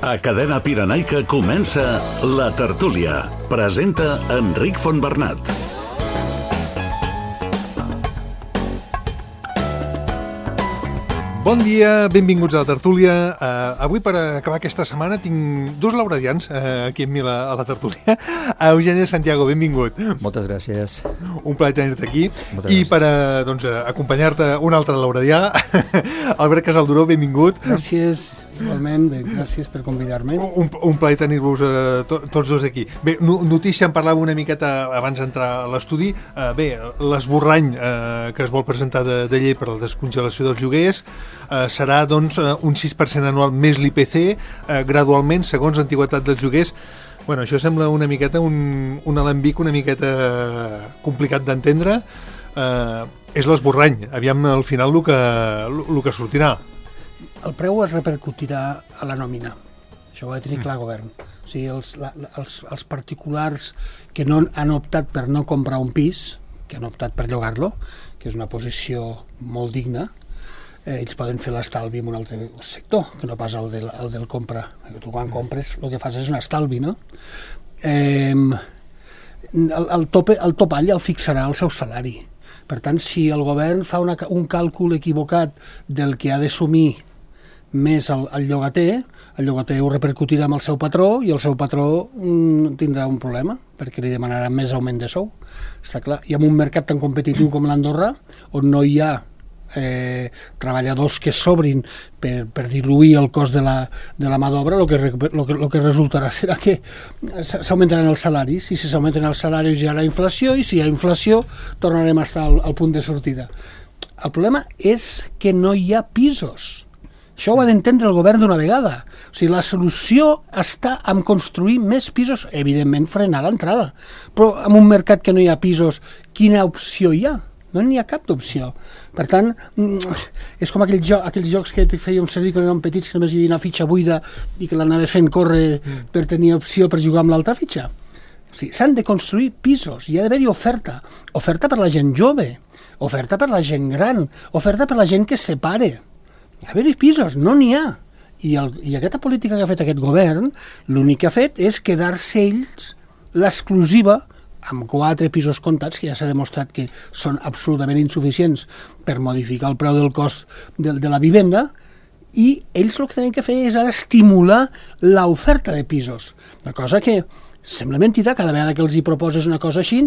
A Cadena Pirenaica comença La Tertúlia. Presenta Enric Fontbernat. Bon dia, benvinguts a La Tertúlia. Avui, per acabar aquesta setmana, tinc dos lauradians aquí amb mi a La Tertúlia. Eugeni Santiago, benvingut. Moltes gràcies. Un plaer tenir-te aquí. Moltes I gràcies. per acompanyar-te un altre lauradià, Albert Casalduró, benvingut. Gràcies, igualment, gràcies per convidar-me. Un plaer tenir-vos tots dos aquí. Bé, notícia, en parlava una miqueta abans d'entrar a l'estudi. Bé, l'esborrany que es vol presentar de llei per a la descongelació dels lloguers serà, doncs, un 6% anual més l'IPC, gradualment, segons l'antiguitat dels lloguers. Bueno, això sembla una miqueta un alambic una miqueta complicat d'entendre. És l'esborrany. Aviam al final el que sortirà. El preu es repercutirà a la nòmina. Això ho ha de tenir clar el govern. O sigui, els particulars que no han optat per no comprar un pis, que han optat per llogar-lo, que és una posició molt digna, ells poden fer l'estalvi en un altre sector, que no pas el del compra. Tu quan compres el que fas és un estalvi, no? El topall el fixarà el seu salari. Per tant, si el govern fa un càlcul equivocat del que ha d'assumir més el llogater ho repercutirà amb el seu patró i el seu patró tindrà un problema perquè li demanaran més augment de sou. Està clar. I en un mercat tan competitiu com l'Andorra, on no hi ha treballadors que sobrin per diluir el cost de la mà d'obra, el que resultarà serà que s'augmentaran els salaris, i si s'augmenten els salaris hi haurà inflació, i si hi ha inflació tornarem a estar al punt de sortida. El problema és que no hi ha pisos. Això ho ha d'entendre el govern d'una vegada. O sigui, la solució està en construir més pisos, evidentment frenar l'entrada, però en un mercat que no hi ha pisos, quina opció hi ha? No n'hi ha cap d'opció. Per tant, és com aquells jocs que fèiem servir quan érem petits, que només hi havia una fitxa buida i que l'anaves fent córrer per tenir opció per jugar amb l'altra fitxa. O sigui, s'han de construir pisos, hi ha d'haver-hi oferta. Oferta per la gent jove, oferta per la gent gran, oferta per la gent que es separe. Hi ha d'haver-hi pisos, no n'hi ha. I aquesta política que ha fet aquest govern, l'únic que ha fet és quedar-se ells l'exclusiva amb 4 pisos comptats, que ja s'ha demostrat que són absolutament insuficients per modificar el preu del cost de la vivenda, i ells el que tenen que fer és ara estimular l'oferta de pisos. Una cosa que sembla mentida, cada vegada que els hi proposes una cosa així,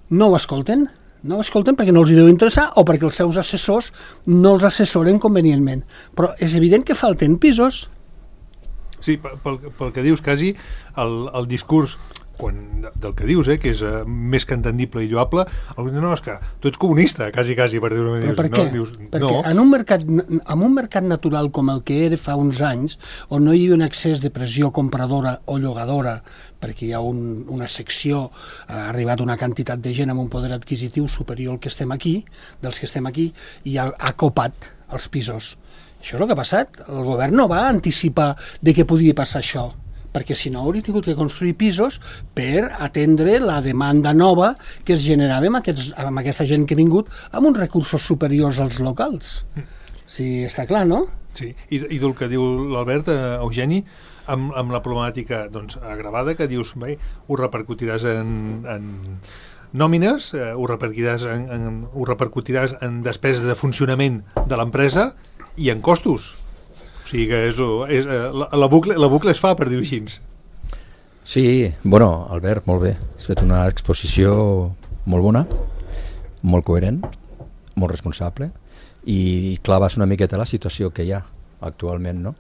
no ho escolten. No ho escolten perquè no els hi deu interessar o perquè els seus assessors no els assessoren convenientment. Però és evident que falten pisos. Sí, pel que dius, quasi, el discurs del que dius, que és més que entendible i lloable, no, és que tu ets comunista, quasi, per dir-ho. Però per què? Perquè en un mercat natural com el que era fa uns anys, on no hi havia un excés de pressió compradora o llogadora, perquè hi ha una secció, ha arribat una quantitat de gent amb un poder adquisitiu superior al que estem aquí, dels que estem aquí, i ha copat els pisos. Això és el que ha passat. El govern no va anticipar de què podia passar això, perquè si no hauria tingut que construir pisos per atendre la demanda nova que es generava amb aquesta gent que ha vingut amb uns recursos superiors als locals. Sí, està clar, no? Sí, i del que diu l'Albert, Eugeni, amb la problemàtica agravada, que dius, bé, ho repercutiràs en nòmines, ho repercutiràs en despeses de funcionament de l'empresa i en costos. O sigui que la bucle es fa, per dir-ho així. Sí, bueno, Albert, molt bé. Has fet una exposició molt bona, molt coherent, molt responsable, i claves una miqueta la situació que hi ha actualment, no?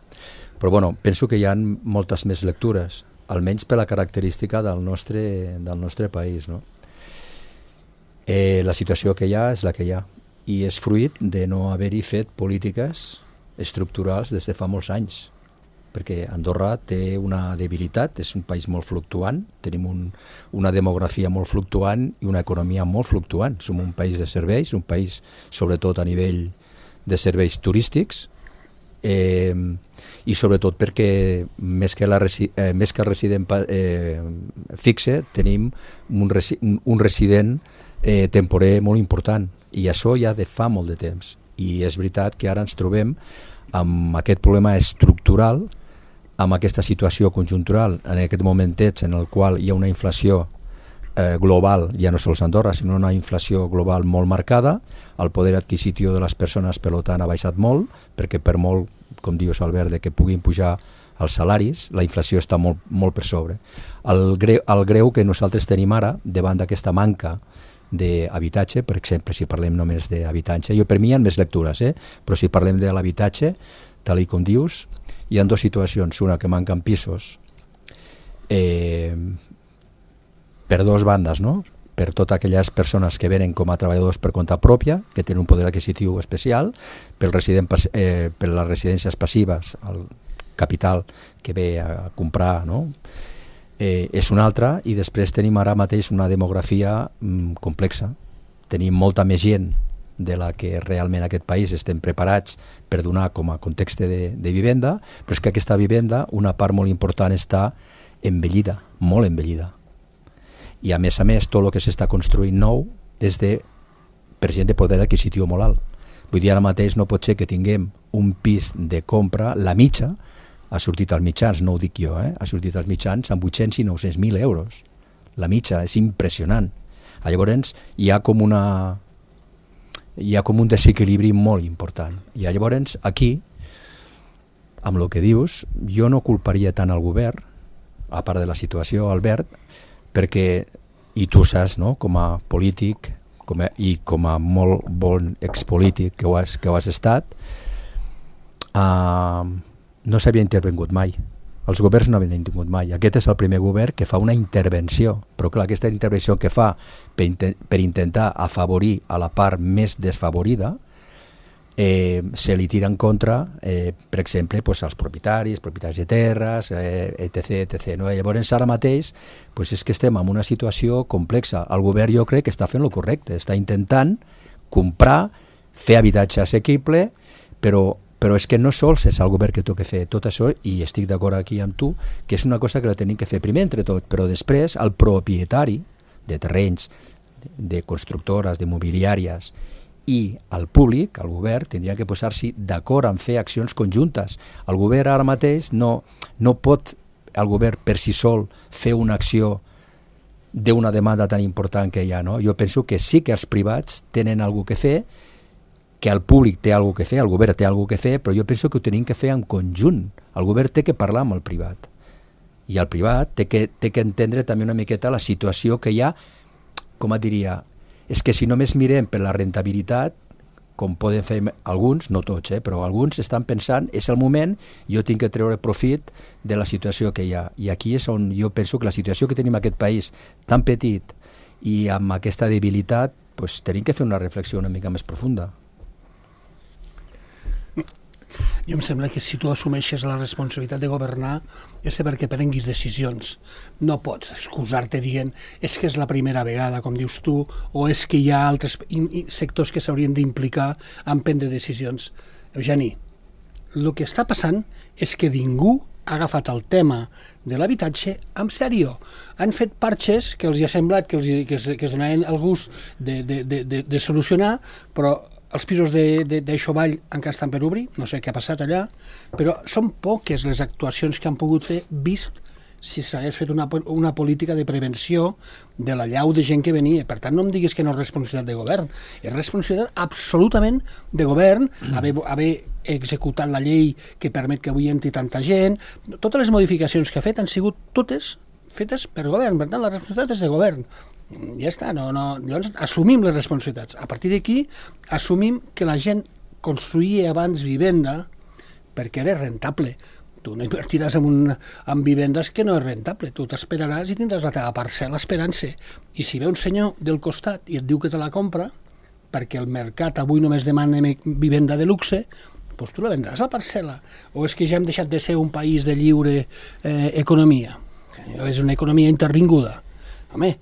Però bueno, penso que hi ha moltes més lectures, almenys per la característica del nostre país, no? La situació que hi ha és la que hi ha, i és fruit de no haver-hi fet polítiques estructurals des de fa molts anys, perquè Andorra té una debilitat, és un país molt fluctuant, tenim una demografia molt fluctuant i una economia molt fluctuant. Som un país de serveis, un país sobretot a nivell de serveis turístics, i sobretot perquè més que el resident fixe tenim un resident temporer molt important, i això ja de fa molt de temps. I és veritat que ara ens trobem amb aquest problema estructural amb aquesta situació conjuntural en aquest momentet en el qual hi ha una inflació global, ja no sols a Andorra, sinó una inflació global molt marcada, el poder adquisitiu de les persones per tant ha baixat molt, perquè per molt, com dius Albert, que puguin pujar els salaris, la inflació està molt, molt per sobre. El greu que nosaltres tenim ara, davant d'aquesta manca d'habitatge, per exemple, si parlem només d'habitatge, per mi hi ha més lectures, però si parlem de l'habitatge, tal com dius, hi ha dues situacions, una que manquen pisos per dues bandes, no? Per totes aquelles persones que venen com a treballadors per compte pròpia, que tenen un poder adquisitiu especial, per les residències passives, el capital que ve a comprar, no? És una altra, i després tenim ara mateix una demografia complexa. Tenim molta més gent de la que realment en aquest país estem preparats per donar com a context de vivenda, però és que aquesta vivenda, una part molt important, està envellida, molt envellida. I a més, tot el que s'està construint nou és per gent de poder adquisitiu molt alt. Vull dir, ara mateix no pot ser que tinguem un pis de compra, la mitja, ha sortit als mitjans, no ho dic jo, ha sortit als mitjans amb 800 i 900.000 euros. La mitja, és impressionant. Llavors hi ha com un desequilibri molt important. I llavors aquí, amb el que dius, jo no culparia tant al govern, a part de la situació, Albert, perquè, i tu saps, no?, com a polític i com a molt bon expolític que ho has estat, no s'havia intervingut mai. Els governs no havien intervingut mai. Aquest és el primer govern que fa una intervenció, però clar, aquesta intervenció que fa per intentar afavorir a la part més desfavorida, se li tira en contra, per exemple, als propietaris de terres, etc. No? Llavors, ara mateix, és que estem en una situació complexa. El govern, jo crec que està fent el correcte, està intentant comprar, fer habitatge assequible, però és que no sols és el govern que toca fer tot això, i estic d'acord aquí amb tu, que és una cosa que la tenim que fer primer entre tot, però després el propietari de terrenys, de constructores, de mobiliàries, i el públic, el govern, tindria que posar-s'hi d'acord en fer accions conjuntes. El govern ara mateix no pot, el govern per si sol, fer una acció d'una demanda tan important que hi ha. No? Jo penso que sí que els privats tenen alguna cosa que fer, que el públic té alguna cosa que fer, el govern té alguna cosa que fer, però jo penso que ho tenim que fer en conjunt. El govern té que parlar amb el privat. I el privat té que entendre també una miqueta la situació que hi ha, com et diria, és que si només mirem per la rentabilitat, com poden fer alguns, no tots, però alguns estan pensant, és el moment, jo tinc que treure profit de la situació que hi ha. I aquí és on jo penso que la situació que tenim en aquest país tan petit i amb aquesta debilitat, tenim que fer una reflexió una mica més profunda. Jo em sembla que si tu assumeixes la responsabilitat de governar és perquè prenguis decisions. No pots excusar-te dient és que és la primera vegada, com dius tu, o és que hi ha altres sectors que s'haurien d'implicar en prendre decisions. Eugeni, el que està passant és que ningú ha agafat el tema de l'habitatge amb sèrio. Han fet parxes que els ha semblat que es donaven el gust de solucionar, però els pisos d'Aixovall encara estan per obrir, no sé què ha passat allà, però són poques les actuacions que han pogut fer vist si s'hagués fet una política de prevenció de l'allau de gent que venia. Per tant, no em diguis que no és responsabilitat de govern. És responsabilitat absolutament de govern haver executat la llei que permet que avui entri tanta gent. Totes les modificacions que ha fet han sigut totes fetes per govern. Per tant, la responsabilitat és de govern. Ja està, llavors assumim les responsabilitats. A partir d'aquí assumim que la gent construïa abans vivenda perquè era rentable. Tu no invertiràs en vivendes que no és rentable. Tu t'esperaràs i tindràs la teva parcel·la esperant-se. I si ve un senyor del costat i et diu que te la compra, perquè el mercat avui només demana vivenda de luxe, doncs tu la vendràs la parcel·la. O és que ja hem deixat de ser un país de lliure economia? És una economia intervinguda. Home,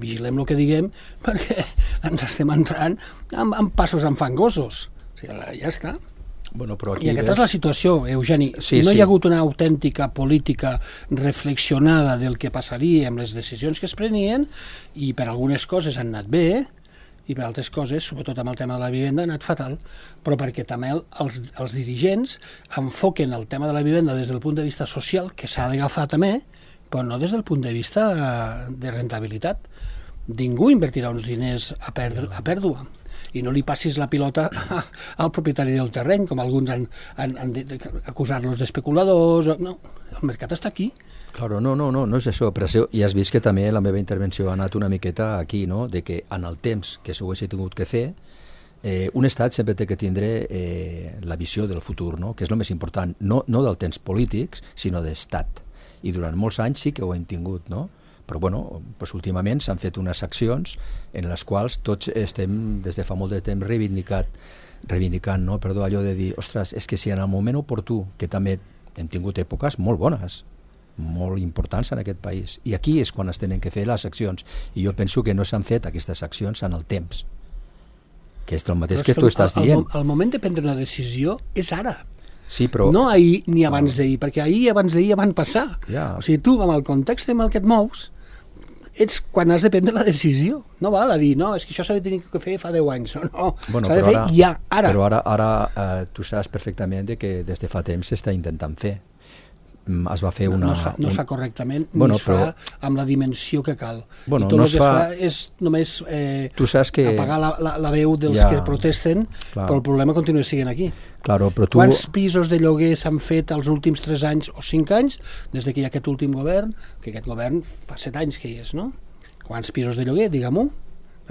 vigilem el que diguem perquè ens estem entrant amb passos enfangosos. O sigui, ja està. Bueno, però aquí I aquesta és la situació, Eugeni. No hi ha hagut una autèntica política reflexionada del que passaria amb les decisions que es prenien i per algunes coses han anat bé i per altres coses, sobretot amb el tema de la vivenda, ha anat fatal, però perquè també els dirigents enfoquen el tema de la vivenda des del punt de vista social, que s'ha d'agafar també, però no des del punt de vista de rentabilitat. Ningú invertirà uns diners a pèrdua. I no li passis la pilota al propietari del terreny, com alguns han acusat-los d'especuladors. No, el mercat està aquí. Claro, no és això, però ja has vist que també la meva intervenció ha anat una miqueta aquí, no? De que en el temps que s'ho hagués tingut que fer, un estat sempre té que tindre la visió del futur, no? Que és el més important, no del temps polítics, sinó d'estat. I durant molts anys sí que ho hem tingut, no? Però bueno, doncs últimament s'han fet unes accions en les quals tots estem des de fa molt de temps reivindicant, no? Perdó, allò de dir, ostres, és que si en el moment oportú, que també hem tingut èpoques molt bones, molt importants en aquest país, i aquí és quan es tenen que fer les accions, i jo penso que no s'han fet aquestes accions en el temps, que és el mateix que tu estàs dient. El moment de prendre una decisió és ara. Sí, però... No ahir ni abans d'ahir, perquè ahir i abans d'ahir ja van passar. Ja. O sigui, tu, amb el context en el que et mous, ets quan has de prendre la decisió. No val a dir, no, és que això s'ha de tenir que fer fa 10 anys. No, bueno, s'ha de fer ja, ara. Però ara tu saps perfectament que des de fa temps s'està intentant fer. Es va fer una... No es fa correctament, ni es fa amb la dimensió que cal. Bueno, I tot el que es fa és només apagar la veu dels que protesten, però el problema continua sent aquí. Claro, però Quants pisos de lloguer s'han fet els últims 3 anys o 5 anys, des que hi ha aquest últim govern, que aquest govern fa 7 anys que hi és, no? Quants pisos de lloguer, digue-m'ho?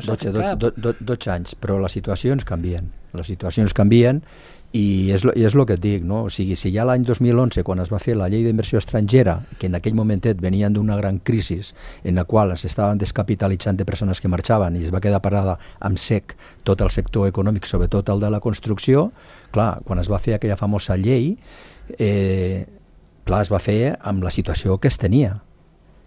12 anys, però les situacions canvien. Les situacions canvien i és el que et dic, no? O sigui, si ja l'any 2011, quan es va fer la llei d'inversió estrangera, que en aquell momentet venien d'una gran crisi en la qual es estaven descapitalitzant de persones que marxaven i es va quedar parada amb sec tot el sector econòmic, sobretot el de la construcció, clar, quan es va fer aquella famosa llei, clar, es va fer amb la situació que es tenia,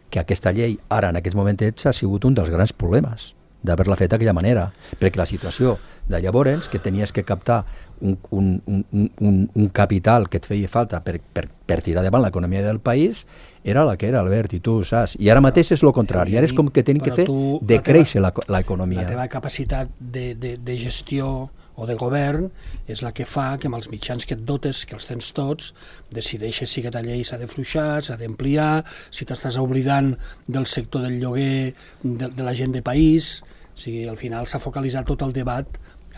que aquesta llei ara en aquests momentets ha sigut un dels grans problemes d'haver-la fet d'aquella manera, perquè la situació de llavors, que tenies que captar un capital que et feia falta per tirar davant l'economia del país, era la que era, Albert, i tu ho saps. I ara mateix és el contrari, ara és com que tenen que fer decréixer l'economia. La teva capacitat de gestió o de govern és la que fa que amb els mitjans que et dotes, que els tens tots, decideixes si aquesta llei s'ha de fluixar, s'ha d'ampliar, si t'estàs oblidant del sector del lloguer, de la gent de país. O sigui, al final s'ha focalitzat tot el debat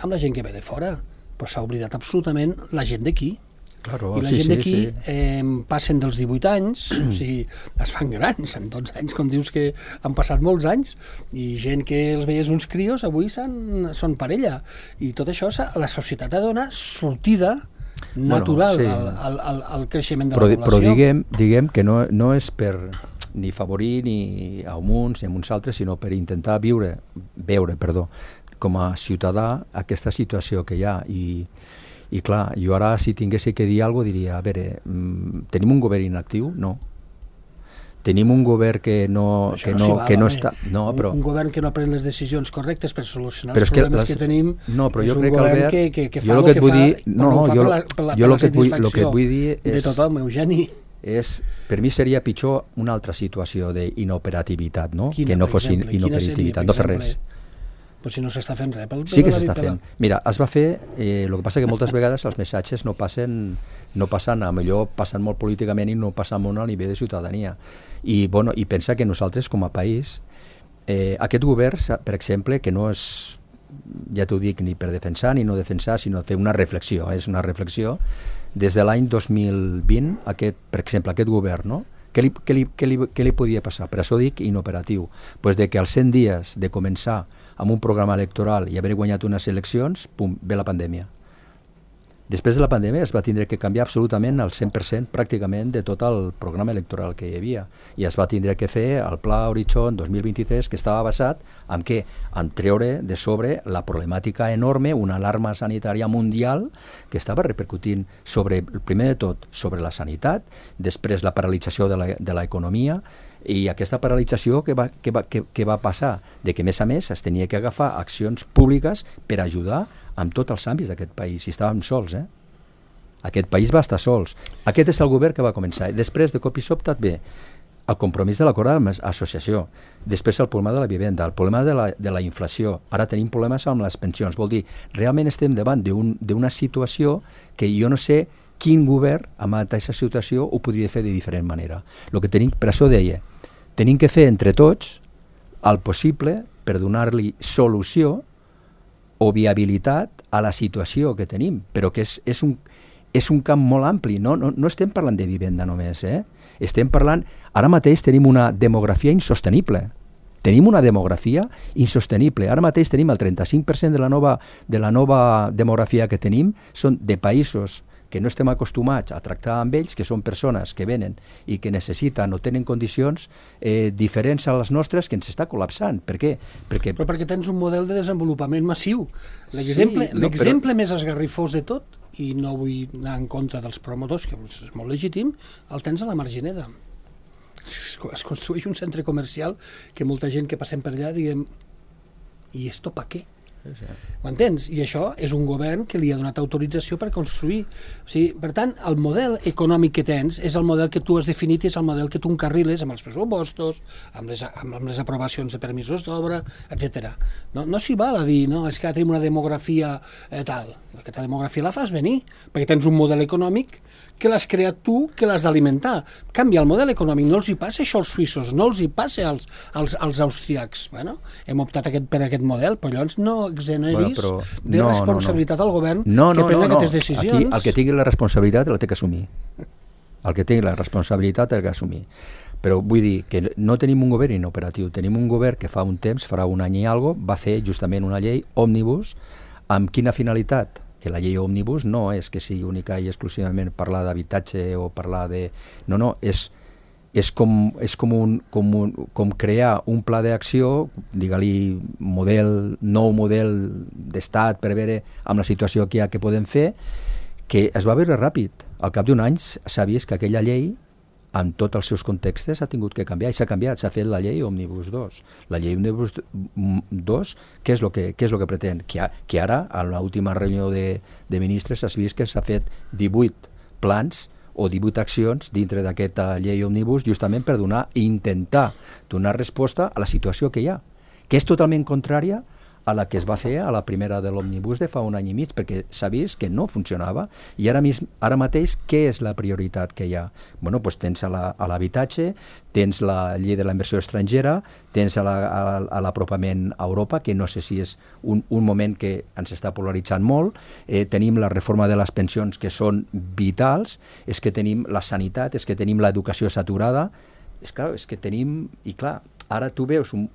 amb la gent que ve de fora, però s'ha oblidat absolutament la gent d'aquí. Claro, i la gent d'aquí passen dels 18 anys, o sigui, es fan grans en 12 anys, com dius que han passat molts anys, i gent que els veies uns crios avui són parella, i tot això la societat ha de donar sortida natural al creixement de la població. Però diguem que no és per ni favorir ni a uns ni a uns altres, sinó per intentar veure com a ciutadà aquesta situació que hi ha. I clar, jo ara si tingués que dir alguna cosa diria, a veure, tenim un govern inactiu? No. Tenim un govern que no està... No, però... Un govern que no pren les decisions correctes per solucionar els problemes que tenim és un govern que fa el que fa, però ho fa per la satisfacció de tothom, Eugeni. Per mi seria pitjor una altra situació d'inoperativitat, no? Que no fos inoperativitat, no fer res. Però si no s'està fent res. Sí que s'està fent. Mira, es va fer, el que passa que moltes vegades els missatges no passen, a millor passen molt políticament i no passen molt a nivell de ciutadania. I pensa que nosaltres com a país, aquest govern, per exemple, que no és, ja t'ho dic, ni per defensar ni no defensar, sinó fer una reflexió, és una reflexió. Des de l'any 2020, per exemple, aquest govern, no? Què li podia passar? Per això dic inoperatiu. Pues de que als 100 dies de començar amb un programa electoral i haver guanyat unes eleccions, pum, ve la pandèmia. Després de la pandèmia es va tindre que canviar absolutament el 100% pràcticament de tot el programa electoral que hi havia i es va tindre que fer el Pla Horitzon 2023, que estava basat en què? En treure de sobre la problemàtica enorme, una alarma sanitària mundial que estava repercutint primer de tot sobre la sanitat, després la paralització de l'economia, i aquesta paralització que va passar, de que a més es tenia que agafar accions públiques per ajudar amb tots els àmbits d'aquest país, i estàvem sols, Aquest país va estar sols. Aquest és el govern que va començar. Després, de cop i sobte, ve el compromís de l'acord d'associació, després el problema de la vivenda, el problema de la inflació, ara tenim problemes amb les pensions, vol dir, realment estem davant d'una situació que jo no sé quin govern amb aquesta situació ho podria fer de diferent manera. Per això deia, tenim que fer entre tots el possible per donar-li solució o viabilitat a la situació que tenim, però que és un camp molt ampli, no estem parlant de vivenda només, estem parlant, ara mateix tenim una demografia insostenible, ara mateix tenim el 35% de la nova demografia que tenim són de països que no estem acostumats a tractar amb ells, que són persones que venen i que necessiten o tenen condicions diferents a les nostres, que ens està col·lapsant. Per què? Però perquè tens un model de desenvolupament massiu. L'exemple més esgarrifós de tot, i no vull anar en contra dels promotors, que és molt legítim, el tens a la Margineda. Es construeix un centre comercial que molta gent que passem per allà diguem, i esto pa què? M'entens? I això és un govern que li ha donat autorització per construir. O sigui, per tant, el model econòmic que tens és el model que tu has definit i és el model que tu encarriles amb els pressupostos, amb les aprovacions de permisos d'obra, etc. No s'hi val a dir, no, és que tenim una demografia tal. Aquesta demografia la fas venir, perquè tens un model econòmic que l'has creat tu, que l'has d'alimentar. Canvia el model econòmic, no els hi passa això als suïssos, no els hi passa als austríacs. Bueno, hem optat per aquest model, però llavors no exoneris de responsabilitat al govern que pren aquestes decisions. Aquí el que tingui la responsabilitat la té que assumir. El que tingui la responsabilitat ha d'assumir. Però vull dir que no tenim un govern inoperatiu, tenim un govern que fa un temps, farà un any i alguna cosa, va fer justament una llei òmnibus. Amb quina finalitat? Que la llei òmnibus no és que sigui única i exclusivament parlar d'habitatge o parlar de... No, és com crear un pla d'acció, digue-li nou model d'estat per veure amb la situació que hi ha que podem fer, que es va veure ràpid. Al cap d'un any s'ha vist que aquella llei, amb tots els seus contextos, s'ha tingut que canviar, i s'ha canviat, s'ha fet la llei Òmnibus 2. La llei Òmnibus 2, què és el que pretén? Que ara, a l'última reunió de ministres, s'ha vist que s'ha fet 18 plans o 18 accions dintre d'aquesta llei Òmnibus justament per intentar donar resposta a la situació que hi ha, que és totalment contrària a la que es va fer a la primera de l'Òmnibus de fa un any i mig, perquè s'ha vist que no funcionava, i ara mateix què és la prioritat que hi ha? Bueno, doncs tens a l'habitatge, tens la llei de la inversió estrangera, tens a l'apropament a Europa, que no sé si és un moment que ens està polaritzant molt, tenim la reforma de les pensions que són vitals, és que tenim la sanitat, és que tenim l'educació saturada, és que tenim, i clar, ara tu veus un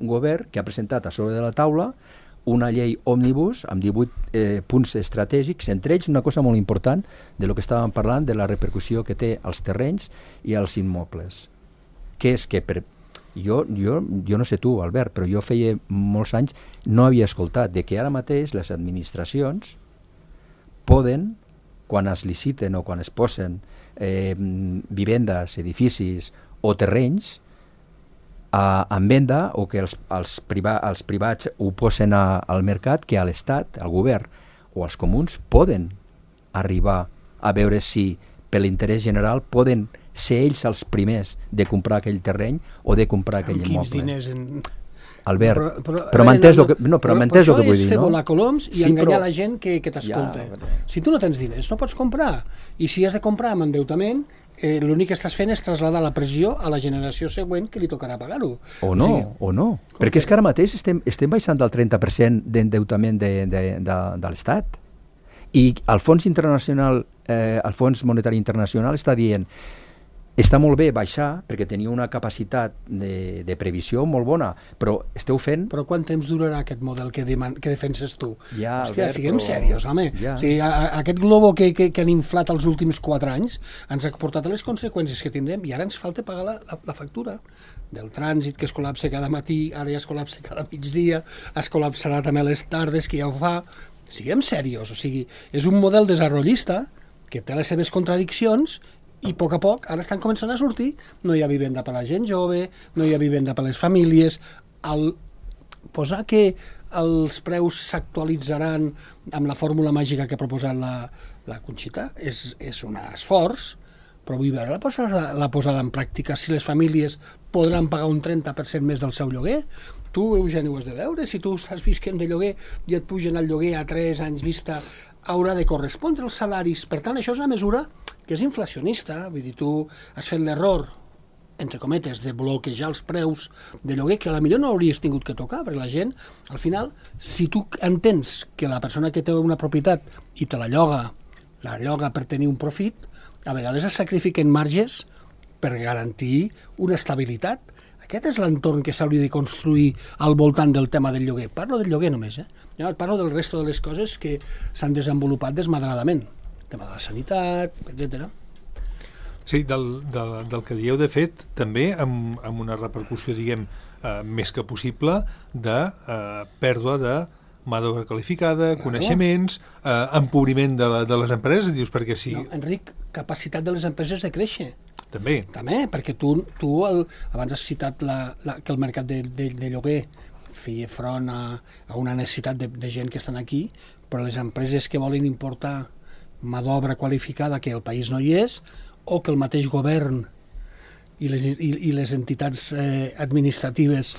govern que ha presentat a sobre de la taula una llei òmnibus amb 18 punts estratègics, entre ells una cosa molt important de lo que estàvem parlant, de la repercussió que té als terrenys i als immobles. Que és que jo no sé tu, Albert, però jo feia molts anys no havia escoltat de que ara mateix les administracions poden, quan es liciten o quan es posen vivendes, edificis o terrenys en venda, o que els privats ho posen al mercat, que a l'Estat, al govern o als comuns poden arribar a veure si per l'interès general poden ser ells els primers de comprar aquell terreny o de comprar aquell immoble. Albert, però m'entens el que vull dir, no? Però això és fer volar coloms i enganyar la gent que t'escolta. Si tu no tens diners, no pots comprar. I si has de comprar amb endeutament, l'únic que estàs fent és traslladar la pressió a la generació següent que li tocarà pagar-ho. O no. Perquè és que ara mateix estem baixant del 30% d'endeutament de l'Estat. I el Fons Monetari Internacional està dient està molt bé baixar perquè tenia una capacitat de previsió molt bona, però esteu fent... Però quant temps durarà aquest model que defenses tu? Ja, hòstia, siguem serios, home. Ja. O sigui, aquest globo que han inflat els últims 4 anys ens ha portat a les conseqüències que tindrem i ara ens falta pagar la factura del trànsit que es col·lapsa cada matí, ara ja es col·lapsa cada migdia, es col·lapsarà també a les tardes, que ja ho fa. Siguem serios, o sigui, és un model desarrollista que té les seves contradiccions i a poc ara estan començant a sortir. No hi ha vivenda per a la gent jove, no hi ha vivenda per a les famílies. Posar que els preus s'actualitzaran amb la fórmula màgica que ha proposat la Conxita és un esforç, però vull veure la posada en pràctica, si les famílies podran pagar un 30% més del seu lloguer. Tu, Eugeni, ho has de veure, si tu estàs visquent de lloguer i et pugen el lloguer a 3 anys vista, haurà de correspondre els salaris. Per tant, això és una mesura que és inflacionista, vull dir, tu has fet l'error, entre cometes, de bloquejar els preus de lloguer, que a la millor no hauries tingut que tocar, perquè la gent, al final, si tu entens que la persona que té una propietat i te la lloga per tenir un profit, a vegades es sacrifiquen marges per garantir una estabilitat. Aquest és l'entorn que s'hauria de construir al voltant del tema del lloguer. Parlo del lloguer només, Jo parlo del resto de les coses que s'han desenvolupat desmadradament. El tema de la sanitat, etc. Sí, del que dieu, de fet, també amb una repercussió, diguem, més que possible, de pèrdua de mà d'obra qualificada, coneixements, empobriment de les empreses, dius, perquè si... No, Enric, capacitat de les empreses de créixer. També, perquè tu abans has citat que el mercat de lloguer feia front a una necessitat de gent que estan aquí, però les empreses que volen importar mà d'obra qualificada que el país no hi és, o que el mateix govern i les entitats administratives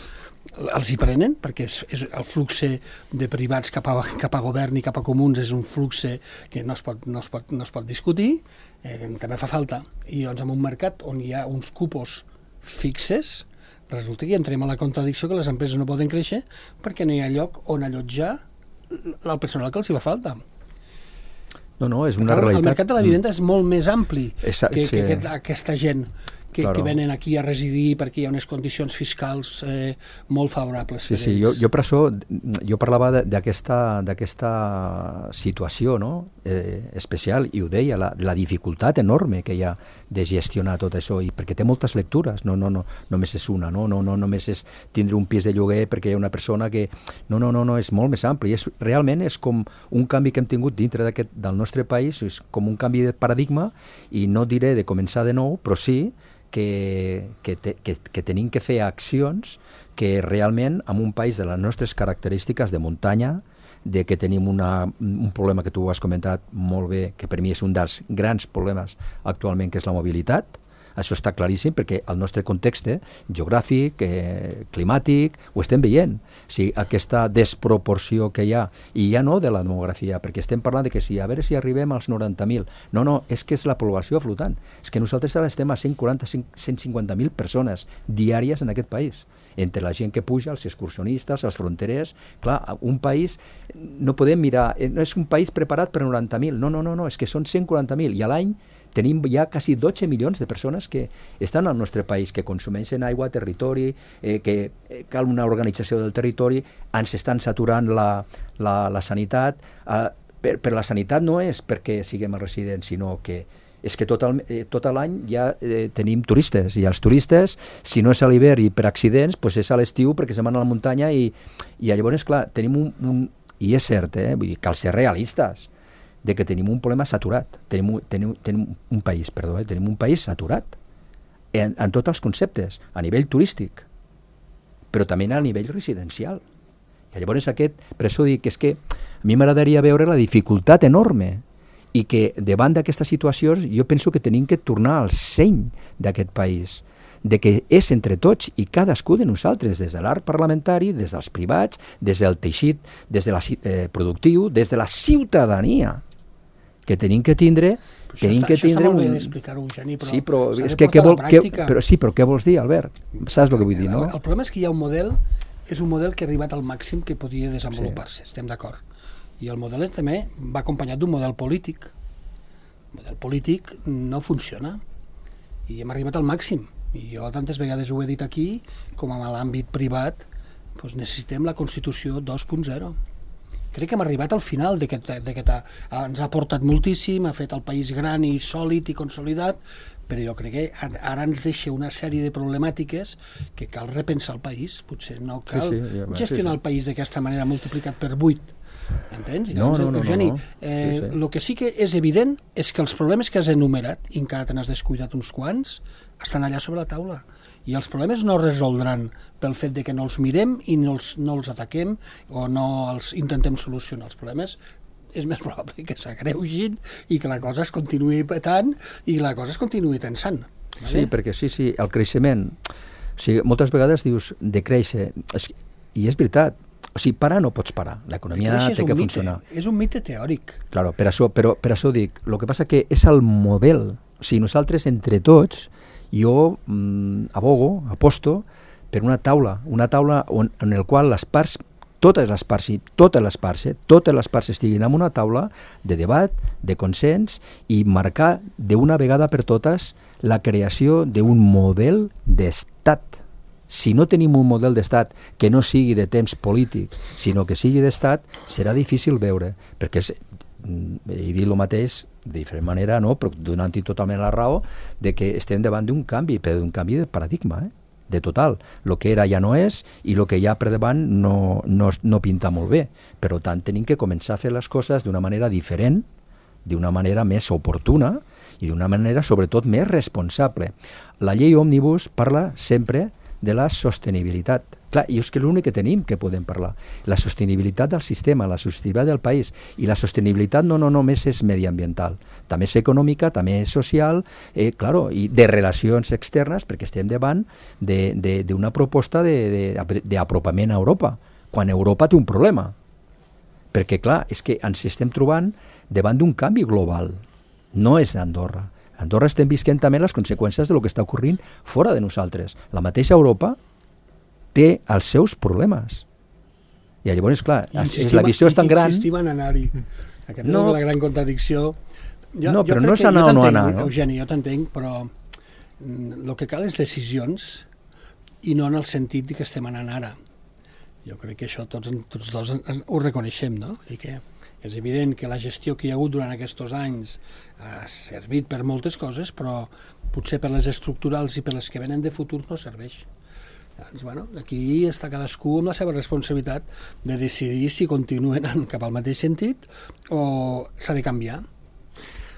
els hi prenen, perquè és el flux de privats cap a govern i cap a comuns és un flux que no es pot discutir, també fa falta. I doncs en un mercat on hi ha uns cupos fixes, resulta que entrem a la contradicció que les empreses no poden créixer perquè no hi ha lloc on allotjar el personal que els hi fa falta. No, és una realitat. El mercat de la vivenda és molt més ampli que aquesta gent que venen aquí a residir perquè hi ha unes condicions fiscals molt favorables per ells. Jo per això jo parlava d'aquesta situació, no? Especial, i ho deia, la dificultat enorme que hi ha de gestionar tot això, i perquè té moltes lectures, no només és una, no només és tindre un pis de lloguer perquè hi ha una persona que... No, és molt més ampli, realment és com un canvi que hem tingut dintre del nostre país, és com un canvi de paradigma, i no diré de començar de nou, però sí que tenim que fer accions que realment en un país de les nostres característiques de muntanya, de que tenim un problema que tu has comentat molt bé, que per mi és un dels grans problemes actualment, que és la mobilitat. Això està claríssim perquè el nostre context geogràfic, climàtic, ho estem veient. O sigui, aquesta desproporció que hi ha, i ja no de la demografia, perquè estem parlant de que a veure si arribem als 90.000. No, és que és la població flotant. És que nosaltres ara estem a 150.000 persones diàries en aquest país, entre la gent que puja, els excursionistes, els fronterers. Clar, un país, no podem mirar, no és un país preparat per 90.000, no, és que són 140.000, i a l'any tenim ja quasi 12 milions de persones que estan al nostre país, que consumeixen aigua, territori, que cal una organització del territori, ens estan saturant la sanitat. Per la sanitat no és perquè siguem residents, sinó que és que tot l'any ja tenim turistes, i els turistes, si no és a l'hivern i per accidents, doncs és a l'estiu perquè se'n van a la muntanya, i llavors, clar, tenim i és cert, vull dir, cal ser realistes, de que tenim un problema saturat, tenim un país saturat en tots els conceptes, a nivell turístic, però també a nivell residencial. I llavors per això dic que és que a mi m'agradaria veure la dificultat enorme, i que davant d'aquestes situacions jo penso que tenim que tornar al seny d'aquest país, de que és entre tots i cadascú de nosaltres, des de l'art parlamentari, des dels privats, des del teixit, des de productiu, des de la ciutadania, que tenim que tindre... Això està molt bé d'explicar-ho, Eugeni, però sí, però s'ha és de portar a la pràctica. Però què vols dir, Albert? Saps el que vull dir, no? El problema és que hi ha un model, és un model que ha arribat al màxim que podia desenvolupar-se, estem d'acord. I el model també va acompanyat d'un model polític. El model polític no funciona i hem arribat al màxim. I jo tantes vegades ho he dit aquí, com a l'àmbit privat, doncs necessitem la Constitució 2.0. Crec que hem arribat al final ens ha portat moltíssim, ha fet el país gran i sòlid i consolidat, però jo crec que ara ens deixa una sèrie de problemàtiques que cal repensar el país. Potser no cal gestionar el país d'aquesta manera multiplicat per 8. Entens? No. Eugeni, el que sí que és evident és que els problemes que has enumerat, i encara te n'has descuidat uns quants, estan allà sobre la taula. I els problemes no es resoldran pel fet de que no els mirem i no els ataquem o no els intentem solucionar. Els problemes és més probable que s'agreugin i que la cosa es continuï petant i la cosa es continuï tensant. Vale? Sí, perquè sí, el creixement... O sigui, moltes vegades dius de créixer, i és veritat, o sigui, parar no pots parar, l'economia té que funcionar. És un mite teòric. Claro, per això dic, el que passa que és el model, o sigui, nosaltres entre tots, jo aposto per una taula en el qual les parts, totes les parts estiguin en una taula de debat, de consens i marcar d'una vegada per totes la creació d'un model d'estat. Si no tenim un model d'estat que no sigui de temps polític, sinó que sigui d'estat, serà difícil veure, perquè he dit el mateix de diferent manera, no? Però donant-hi totalment la raó de que estem davant d'un canvi, però d'un canvi de paradigma, de total. El que era ja no és i el que hi ha per davant no pinta molt bé. Per tant, tenim que començar a fer les coses d'una manera diferent, d'una manera més oportuna i d'una manera, sobretot, més responsable. La llei Òmnibus parla sempre de la sostenibilitat. Clar, i és que l'únic que tenim que podem parlar. La sostenibilitat del sistema, la sostenibilitat del país. I la sostenibilitat no només és mediambiental, també és econòmica, també és social, i de relacions externes, perquè estem davant d'una proposta d'apropament a Europa, quan Europa té un problema. Perquè, clar, és que ens estem trobant davant d'un canvi global. No és d'Andorra. A Andorra estem visquent també les conseqüències del que està ocorrint fora de nosaltres. La mateixa Europa té els seus problemes. I llavors, clar, la visió és tan gran... Insistim en anar-hi. Aquesta és la gran contradicció. Però no és anar o no anar. Eugeni, jo t'entenc, però el que cal és decisions i no en el sentit que estem anant ara. Jo crec que això tots dos ho reconeixem, no? I que és evident que la gestió que hi ha hagut durant aquests anys ha servit per moltes coses, però potser per les estructurals i per les que venen de futur no serveix. Doncs, aquí està cadascú amb la seva responsabilitat de decidir si continuen cap al mateix sentit o s'ha de canviar.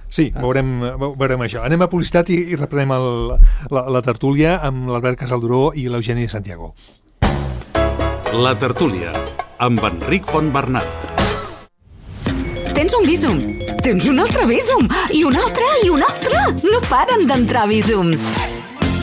Sí, veurem això. Anem a publicitat i reprenem la tertúlia amb l'Albert Casalduró i l'Eugeni Santiago. La tertúlia, amb Enric Fontbernat. Tens un Bizum, tens un altre Bizum, i un altre, i un altre. No paren d'entrar Bizums.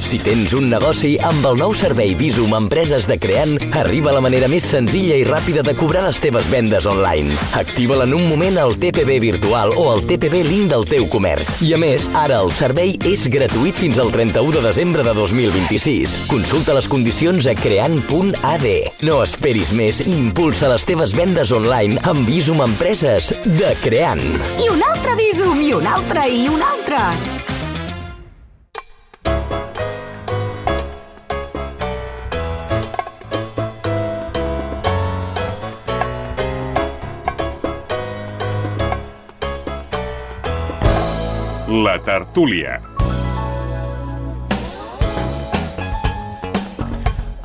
Si tens un negoci, amb el nou servei Bizum Empreses de Creant, arriba la manera més senzilla i ràpida de cobrar les teves vendes online. Activa-la en un moment al TPB virtual o al TPB Link del teu comerç. I a més, ara el servei és gratuït fins al 31 de desembre de 2026. Consulta les condicions a creant.ad. No esperis més i impulsa les teves vendes online amb Bizum Empreses de Creant. I un altre Bizum, i un altre, i un altre. La tertúlia.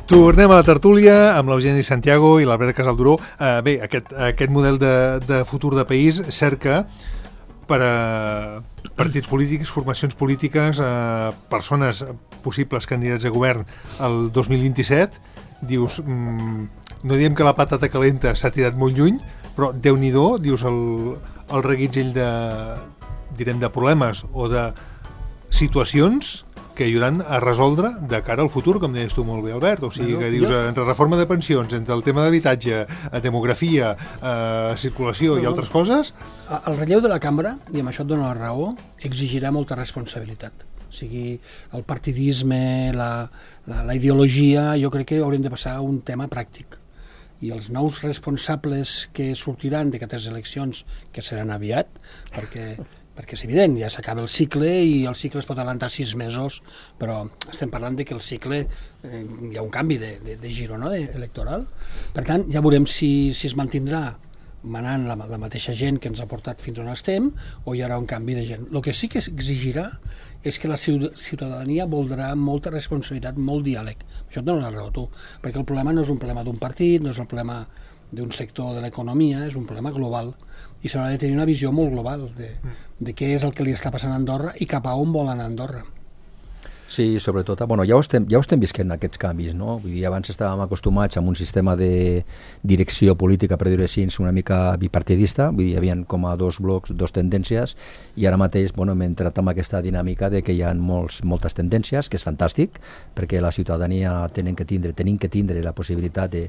Tornem a la tertúlia amb l'Eugeni Santiago i l'Albert Casalduró. Bé, aquest model de futur de país cerca per a partits polítics, formacions polítiques, persones possibles candidats a govern el 2027. Dius, no diem que la patata calenta s'ha tirat molt lluny, però Déu-n'hi-do, dius el reguitzell de problemes o de situacions que ajudaran a resoldre de cara al futur, com deies tu molt bé, Albert. O sigui, que dius, entre reforma de pensions, entre el tema d'habitatge, demografia, circulació i altres coses... El relleu de la cambra, i amb això et dono la raó, exigirà molta responsabilitat. O sigui, el partidisme, la ideologia, jo crec que haurem de passar a un tema pràctic. I els nous responsables que sortiran d'aquestes eleccions, que seran aviat, perquè és evident, ja s'acaba el cicle i el cicle es pot adelantar 6 mesos, però estem parlant de que el cicle hi ha un canvi de giro, no?, electoral. Per tant, ja veurem si es mantindrà manant la mateixa gent que ens ha portat fins on estem o hi haurà un canvi de gent. El que sí que exigirà és que la ciutadania voldrà molta responsabilitat, molt diàleg. Això et dono la raó, tu, perquè el problema no és un problema d'un partit, no és el problema d'un sector de l'economia, és un problema global i s'haurà de tenir una visió molt global de què és el que li està passant a Andorra i cap a on vol anar Andorra. Sí, sobretot, ja ho estem visquent aquests canvis, no? Vull dir, abans estàvem acostumats a un sistema de direcció política, per dir-ho així, una mica bipartidista, vull dir, hi havia com a dos blocs, dos tendències, i ara mateix, hem entrat en aquesta dinàmica de que hi ha moltes tendències, que és fantàstic, perquè la ciutadania tenim que tindre la possibilitat de,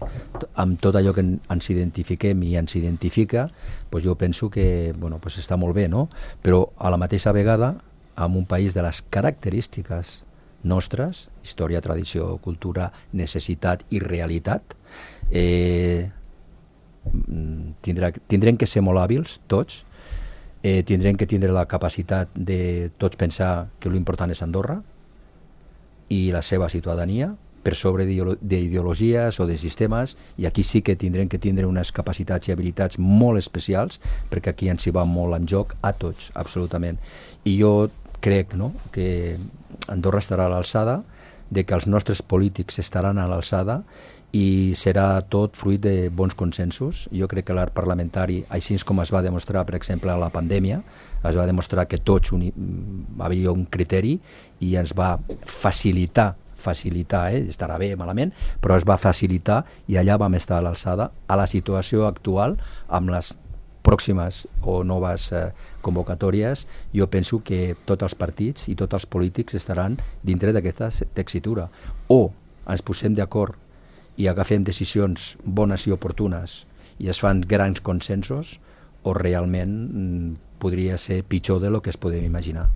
amb tot allò que ens identifiquem i ens identifica, jo penso que està molt bé, no? Però a la mateixa vegada, en un país de les característiques nostres, història, tradició, cultura, necessitat i realitat, tindrem que ser molt hàbils, tots, tindrem que tindre la capacitat de tots pensar que l'important és Andorra i la seva ciutadania, per sobre d'ideologies o de sistemes, i aquí sí que tindrem que tindre unes capacitats i habilitats molt especials, perquè aquí ens hi va molt en joc a tots, absolutament. I jo crec, no?, que Andorra estarà a l'alçada, de que els nostres polítics estaran a l'alçada i serà tot fruit de bons consensos. Jo crec que l'art parlamentari, així com es va demostrar, per exemple, a la pandèmia, es va demostrar que tots havia un criteri i ens va facilitar, estarà bé, malament, però es va facilitar i allà vam estar a l'alçada. A la situació actual, amb les pròximes o noves convocatòries, jo penso que tots els partits i tots els polítics estaran dintre d'aquesta tessitura. O ens posem d'acord i agafem decisions bones i oportunes i es fan grans consensos, o realment podria ser pitjor del que es podem imaginar.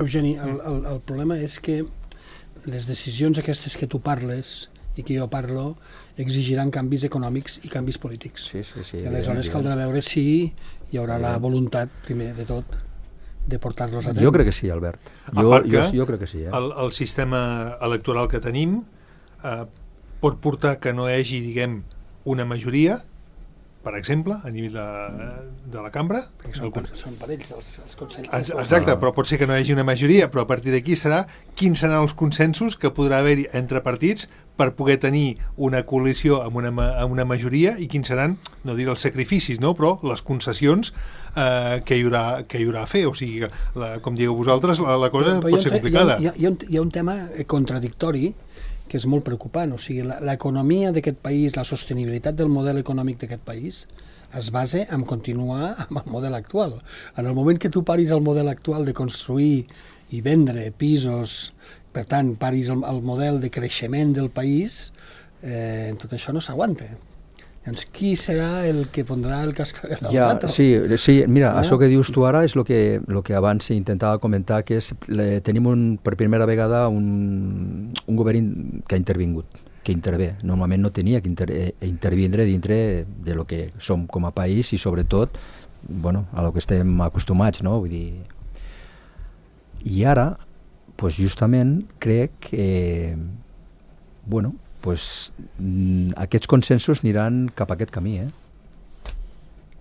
Eugeni, el problema és que les decisions aquestes que tu parles i que jo parlo exigiran canvis econòmics i canvis polítics. Sí, i aleshores caldrà veure si hi haurà la voluntat, primer de tot, de portar-los a terme. Jo crec que sí, Albert. Jo crec que sí. El sistema electoral que tenim pot portar que no hi hagi, diguem, una majoria, per exemple, a nivell de la cambra. Són per ells els consensos. Exacte, però pot ser que no hi hagi una majoria, però a partir d'aquí quins seran els consensos que podrà haver-hi entre partits per poder tenir una coalició amb una majoria, i quins seran, no diré els sacrificis, no?, però les concessions que hi haurà a fer. O sigui, com digueu vosaltres, la cosa pot ser complicada. Hi ha un tema contradictori que és molt preocupant. O sigui, l'economia d'aquest país, la sostenibilitat del model econòmic d'aquest país es basa en continuar amb el model actual. En el moment que tu paris el model actual de construir i vendre pisos, per tant, paris el model de creixement del país, tot això no s'aguanta. Doncs qui serà el que pondrà el cascabel al gato? Sí, mira, això que dius tu ara és el que abans intentava comentar, que és tenim per primera vegada un govern que ha intervingut, que intervé. Normalment no tenia que intervindre dintre de lo que som com a país i sobretot a lo que estem acostumats, no? Vull dir... I ara, justament, crec que aquests consensos aniran cap a aquest camí,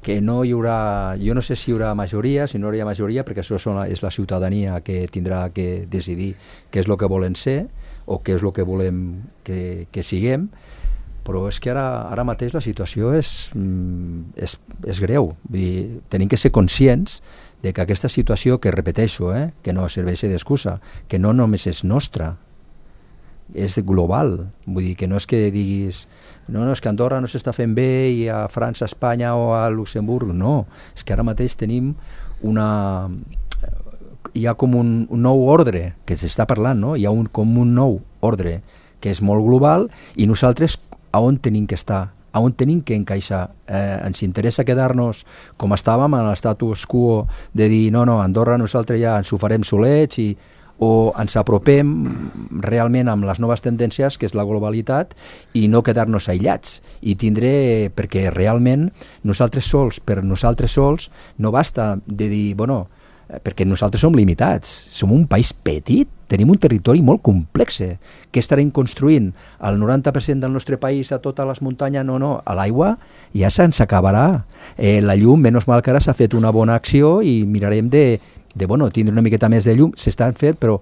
que no hi haurà, jo no sé si hi haurà majoria, si no hi haurà majoria, perquè això és la ciutadania que tindrà que decidir què és el que volen ser o què és el que volem que siguem, però és que ara mateix la situació és greu. Vull dir, tenim que ser conscients de que aquesta situació, que repeteixo, que no serveix d'excusa, que no només és nostra, és global. Vull dir, que no és que diguis és que Andorra no s'està fent bé i a França, a Espanya o a Luxemburg, no, és que ara mateix tenim hi ha com un nou ordre que s'està parlant, no? Hi ha com un nou ordre que és molt global, i nosaltres a on tenim que estar, a on tenim que encaixar. Ens interessa quedar-nos com estàvem en l'estatus quo de dir no, Andorra nosaltres ja ens ho farem solets, o ens apropem realment amb les noves tendències, que és la globalitat, i no quedar-nos aïllats, i tindre, perquè realment nosaltres sols no basta de dir, perquè nosaltres som limitats, som un país petit, tenim un territori molt complex, que estarem construint el 90% del nostre país a totes les muntanyes, a l'aigua ja se'ns acabarà. La llum, menys mal que ara s'ha fet una bona acció i mirarem de tindre una miqueta més de llum, s'estan fent, però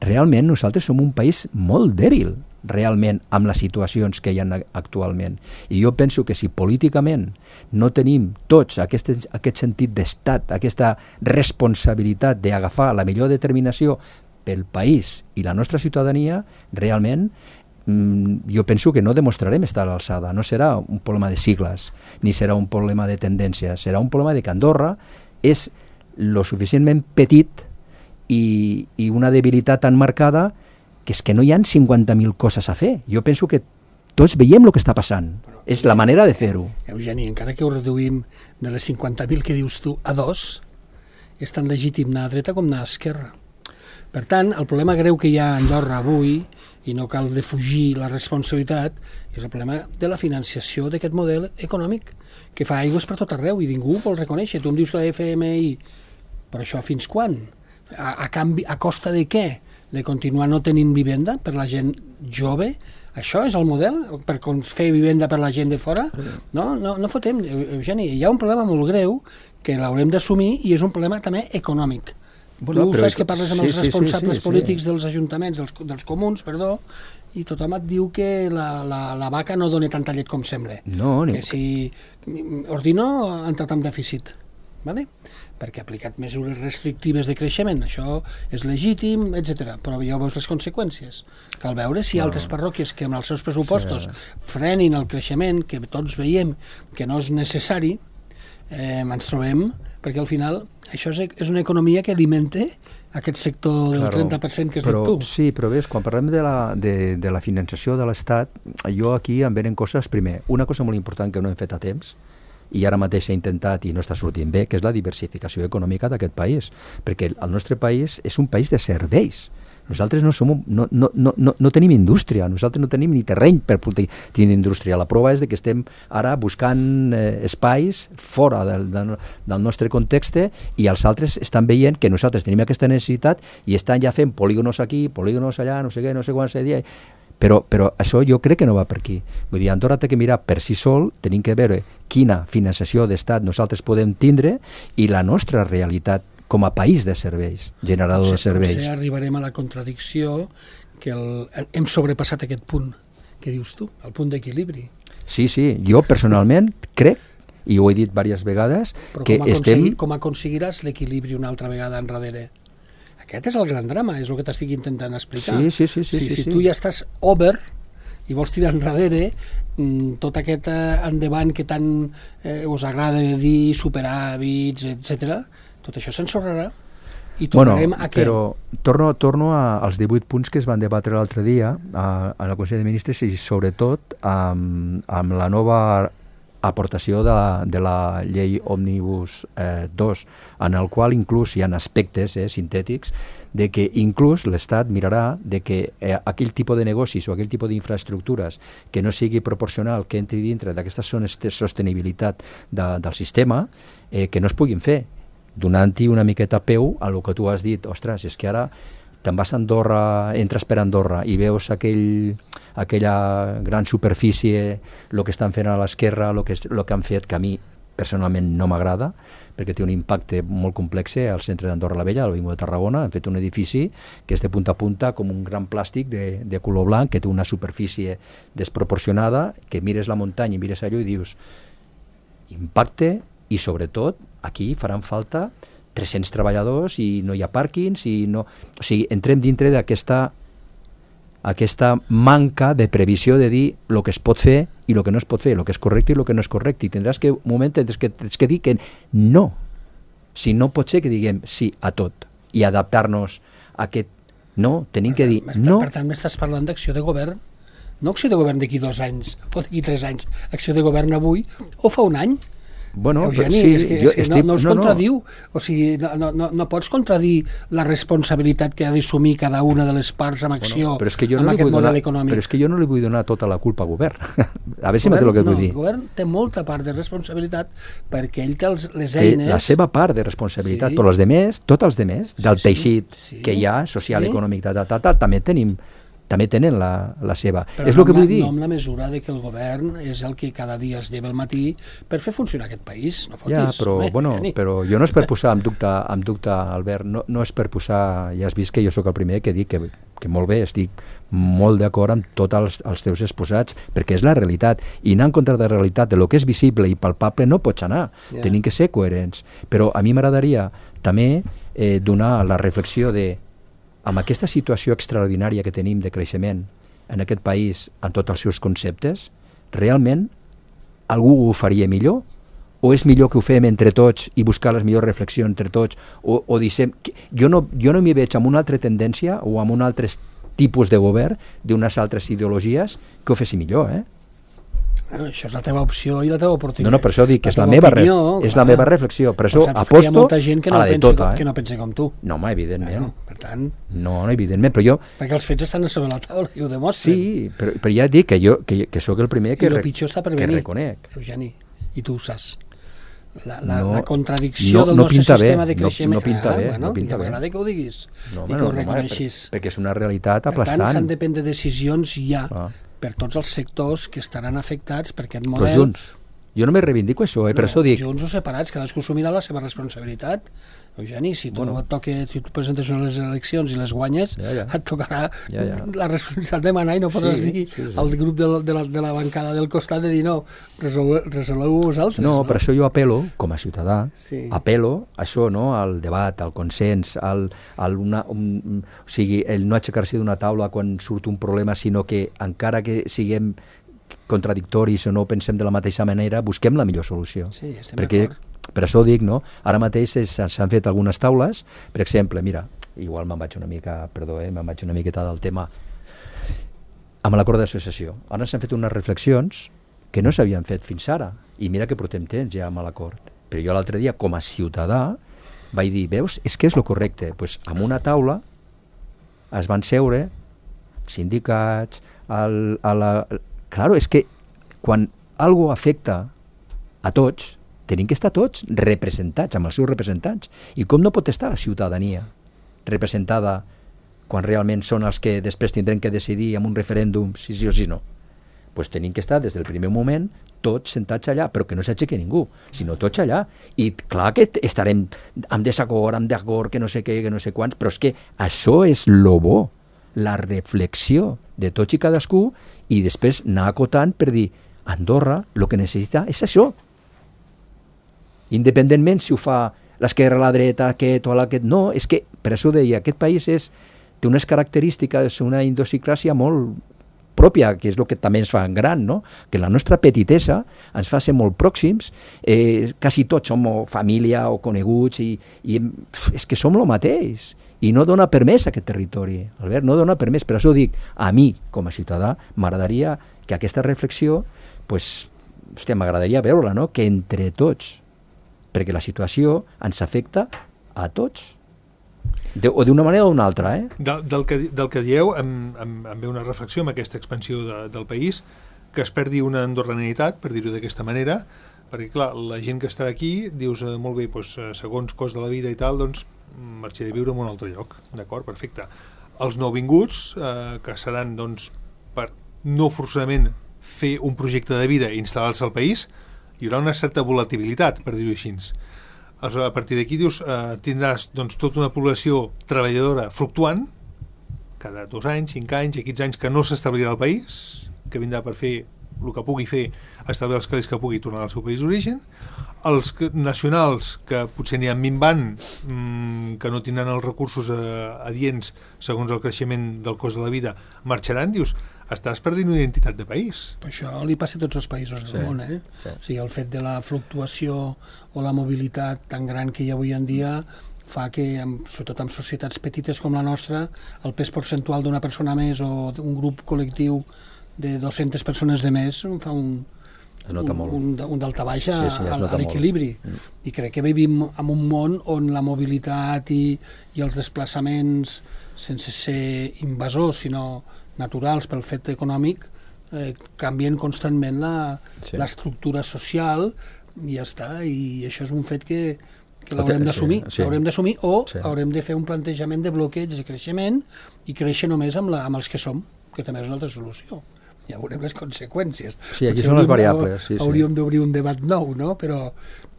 realment nosaltres som un país molt dèbil, realment, amb les situacions que hi ha actualment. I jo penso que si políticament no tenim tots aquest sentit d'estat, aquesta responsabilitat d'agafar la millor determinació pel país i la nostra ciutadania, realment jo penso que no demostrarem estar a l'alçada. No serà un problema de sigles, ni serà un problema de tendències, serà un problema de que Andorra és lo suficientment petit i una debilitat tan marcada que és que no hi ha 50.000 coses a fer. Jo penso que tots veiem el que està passant. És la manera de fer-ho. Eugeni, encara que ho reduïm de les 50.000 que dius tu a 2, és tan legítim anar a dreta com anar a esquerra. Per tant, el problema greu que hi ha a Andorra avui, i no cal defugir la responsabilitat, és el problema de la financiació d'aquest model econòmic, que fa aigües per tot arreu i ningú ho vol reconèixer. Tu em dius que la FMI, però això fins quan? A costa de què? De continuar no tenint vivenda per la gent jove? Això és el model? Per fer vivenda per la gent de fora? No fotem, Eugeni. Hi ha un problema molt greu que l'haurem d'assumir i és un problema també econòmic. Bueno, tu saps que parles amb els responsables polítics dels ajuntaments, dels comuns, i tothom et diu que la vaca no dona tanta llet com sembla. No, que si Ordino ha entrat en dèficit, ¿vale? Perquè ha aplicat mesures restrictives de creixement, això és legítim, etc. Però ja veus les conseqüències. Cal veure si altres parròquies que amb els seus pressupostos frenin el creixement, que tots veiem que no és necessari, ens trobem, perquè al final això és una economia que alimenta aquest sector del 30% que has dit tu. Sí, però ves, quan parlem de la finançació de l'Estat, jo aquí em venen coses, primer, una cosa molt important que no hem fet a temps, i ara mateix s'ha intentat i no està sortint bé, que és la diversificació econòmica d'aquest país, perquè el nostre país és un país de serveis. Nosaltres no tenim indústria, nosaltres no tenim ni terreny per tenir indústria. La prova és que estem ara buscant espais fora del nostre context i els altres estan veient que nosaltres tenim aquesta necessitat i estan ja fent polígonos aquí, polígonos allà, no sé què, no sé quan se dia. Però això jo crec que no va per aquí. Vull dir, Andorra té que mirar per si sol, tenim que veure quina finançació d'estat nosaltres podem tindre i la nostra realitat com a país de serveis, generador de serveis. Potser arribarem a la contradicció que hem sobrepassat aquest punt que dius tu, el punt d'equilibri. Sí, jo personalment crec, i ho he dit diverses vegades, que com aconseguiràs l'equilibri una altra vegada enrere? Aquest és el gran drama, és el que t'estic intentant explicar. Sí. Si tu ja estàs over i vols tirar enrere tot aquest endavant que tant us agrada dir, superàvits, etc., tot això s'ensorrarà i tornarem a què? Però torno als 18 punts que es van debatre l'altre dia al Consell de Ministres i sobretot amb la nova aportació de la llei Òmnibus 2, en el qual inclús hi ha aspectes sintètics de que inclús l'Estat mirarà de que aquell tipus de negocis o aquell tipus d'infraestructures que no sigui proporcional, que entri dintre d'aquesta sostenibilitat del sistema, que no es puguin fer, donant-hi una miqueta peu a el que tu has dit. Ostres, és que ara te'n vas a Andorra, entres per Andorra i veus aquella gran superfície, el que estan fent a l'esquerra, el que han fet, que a mi personalment no m'agrada, perquè té un impacte molt complex al centre d'Andorra la Vella, a l'Avinguda de Tarragona. Han fet un edifici que és de punta a punta com un gran plàstic de color blanc, que té una superfície desproporcionada, que mires la muntanya i mires allò i dius impacte, i sobretot aquí faran falta 300 treballadors i no hi ha pàrquings o sigui, entrem dintre d'aquesta manca de previsió de dir el que es pot fer i el que no es pot fer, el que és correcte i el que no és correcte, i tindràs que un moment que dir que no, si no pot ser que diguem sí a tot i adaptar-nos a aquest no, tenim que dir no. Per tant, m'estàs parlant d'acció de govern, no acció de govern d'aquí 2 anys o d'aquí 3 anys, acció de govern avui o fa un any. Bueno, Eugeni, és que no es contradiu. O sigui, no pots contradir la responsabilitat que ha d'assumir cada una de les parts amb acció amb aquest model econòmic. Però és que jo no li vull donar tota la culpa al govern. A veure si m'entén el que vull dir. El govern té molta part de responsabilitat perquè ell té les eines... Té la seva part de responsabilitat, però els demés, tots els demés, del teixit que hi ha, social, econòmic, també tenen la seva. Però és el que vull dir. No amb la mesura de que el govern és el que cada dia es lleva al matí per fer funcionar aquest país, no fotis. Ja, però jo no és per posar en dubte, Albert, no és per posar, ja has vist que jo sóc el primer que dic que molt bé, estic molt d'acord amb tots els teus exposats, perquè és la realitat, i anar en contra de la realitat, de lo que és visible i palpable no pots anar, tenim que ser coherents, però a mi m'agradaria també donar la reflexió de amb aquesta situació extraordinària que tenim de creixement en aquest país, en tots els seus conceptes, realment algú ho faria millor? O és millor que ho fem entre tots i buscar les millors reflexions entre tots? O dissem... Jo no m'hi veig amb una altra tendència o amb un altre tipus de govern d'unes altres ideologies que ho fessi millor, Bueno, això és la teva opció i la teva oportunitat. No, per això dic que és la meva reflexió. Per això aposto hi ha molta gent que no a la de tota. Que no pensa com tu. No, home, evidentment. Per tant... No, evidentment, però jo... Perquè els fets estan sobre la taula i ho demostren. Sí, però ja dic que sóc el primer que reconec. Eugeni, i tu ho saps. La contradicció del nostre sistema de creixement. No pinta bé. M'agrada que ho diguis i que ho reconeixis. Perquè és una realitat aplastant. Per tant, s'han de prendre decisions ja per tots els sectors que estaran afectats per aquest model. Però junts. Jo no me reivindico això, per això dic... Junts o separats, cadascú assumirà la seva responsabilitat. Eugeni, si tu presentes unes eleccions i les guanyes, et tocarà la responsabilitat de manar i no podràs dir al grup de la bancada del costat de dir no, resoleu vosaltres. No, per això jo apel·lo, com a ciutadà, apel·lo a això, al debat, al consens, o sigui, el no aixecar-se d'una taula quan surt un problema, sinó que encara que siguem contradictoris o no pensem de la mateixa manera, busquem la millor solució. Sí, estem d'acord. Per això ho dic, ara mateix s'han fet algunes taules, per exemple, mira, igual me'n vaig una miqueta del tema, amb l'acord d'associació. Ara s'han fet unes reflexions que no s'havien fet fins ara, i mira que portem temps ja amb l'acord. Però jo l'altre dia, com a ciutadà, vaig dir, veus, és que és el correcte. Doncs amb una taula es van seure sindicats, Claro, és que quan algo afecta a tots, tenim que estar tots representats, amb els seus representants. I com no pot estar la ciutadania representada quan realment són els que després tindrem que decidir amb un referèndum si sí o si no? Doncs tenim que estar des del primer moment tots sentats allà, però que no s'aixequi ningú, sinó tots allà. I clar que estarem amb desacord, que no sé què, que no sé quants, però és que això és lo bo, la reflexió de tots i cadascú, i després anar acotant per dir Andorra el que necessita és això, independentment si ho fa l'esquerra, la dreta, aquest o aquest. No, és que per això deia, aquest país té unes característiques, una idiosincràsia molt pròpia, que és el que també ens fa gran, no? Que la nostra petitesa ens fa ser molt pròxims, quasi tots som família o coneguts, i és que som el mateix, i no dona permès a aquest territori, Albert, no dona permès. Per això dic, a mi, com a ciutadà, m'agradaria que aquesta reflexió, m'agradaria veure-la, no? Que entre tots, perquè la situació ens afecta a tots, o d'una manera o d'una altra. Del que dieu, em ve una reflexió amb aquesta expansió del país, que es perdi una andorranitat, per dir-ho d'aquesta manera, perquè clar, la gent que està aquí, dius molt bé, segons cost de la vida i tal, doncs marxaré a viure en un altre lloc, d'acord, perfecte. Els nouvinguts, que seran doncs per no forçament fer un projecte de vida i instal·lar-se al país, hi haurà una certa volatilitat, per dir-ho així. A partir d'aquí dius, tindràs doncs, tota una població treballadora fluctuant, cada 2 anys, 5 anys, 15 anys, que no s'establirà al país, que vindrà per fer el que pugui fer, establir els calés que pugui tornar al seu país d'origen. Els nacionals, que potser n'hi ha minvant, que no tindran els recursos adients segons el creixement del cost de la vida, marxaran. Dius, estàs perdent una identitat de país. Però això li passa a tots els països del món, O sigui, el fet de la fluctuació o la mobilitat tan gran que hi ha avui en dia fa que, sobretot en societats petites com la nostra, el pes percentual d'una persona més o d'un grup col·lectiu de 200 persones de més fa un daltabaix a l'equilibri. I crec que vivim en un món on la mobilitat i els desplaçaments, sense ser invasors, sinó naturals pel fet econòmic, canvien constantment l'estructura social i ja està. I això és un fet que l'haurem d'assumir. L'haurem d'assumir o haurem de fer un plantejament de bloqueig de creixement i créixer només amb els que som, que també és una altra solució. Ja veurem les conseqüències. Sí, aquí són les variables. Hauríem d'obrir un debat nou, no? Però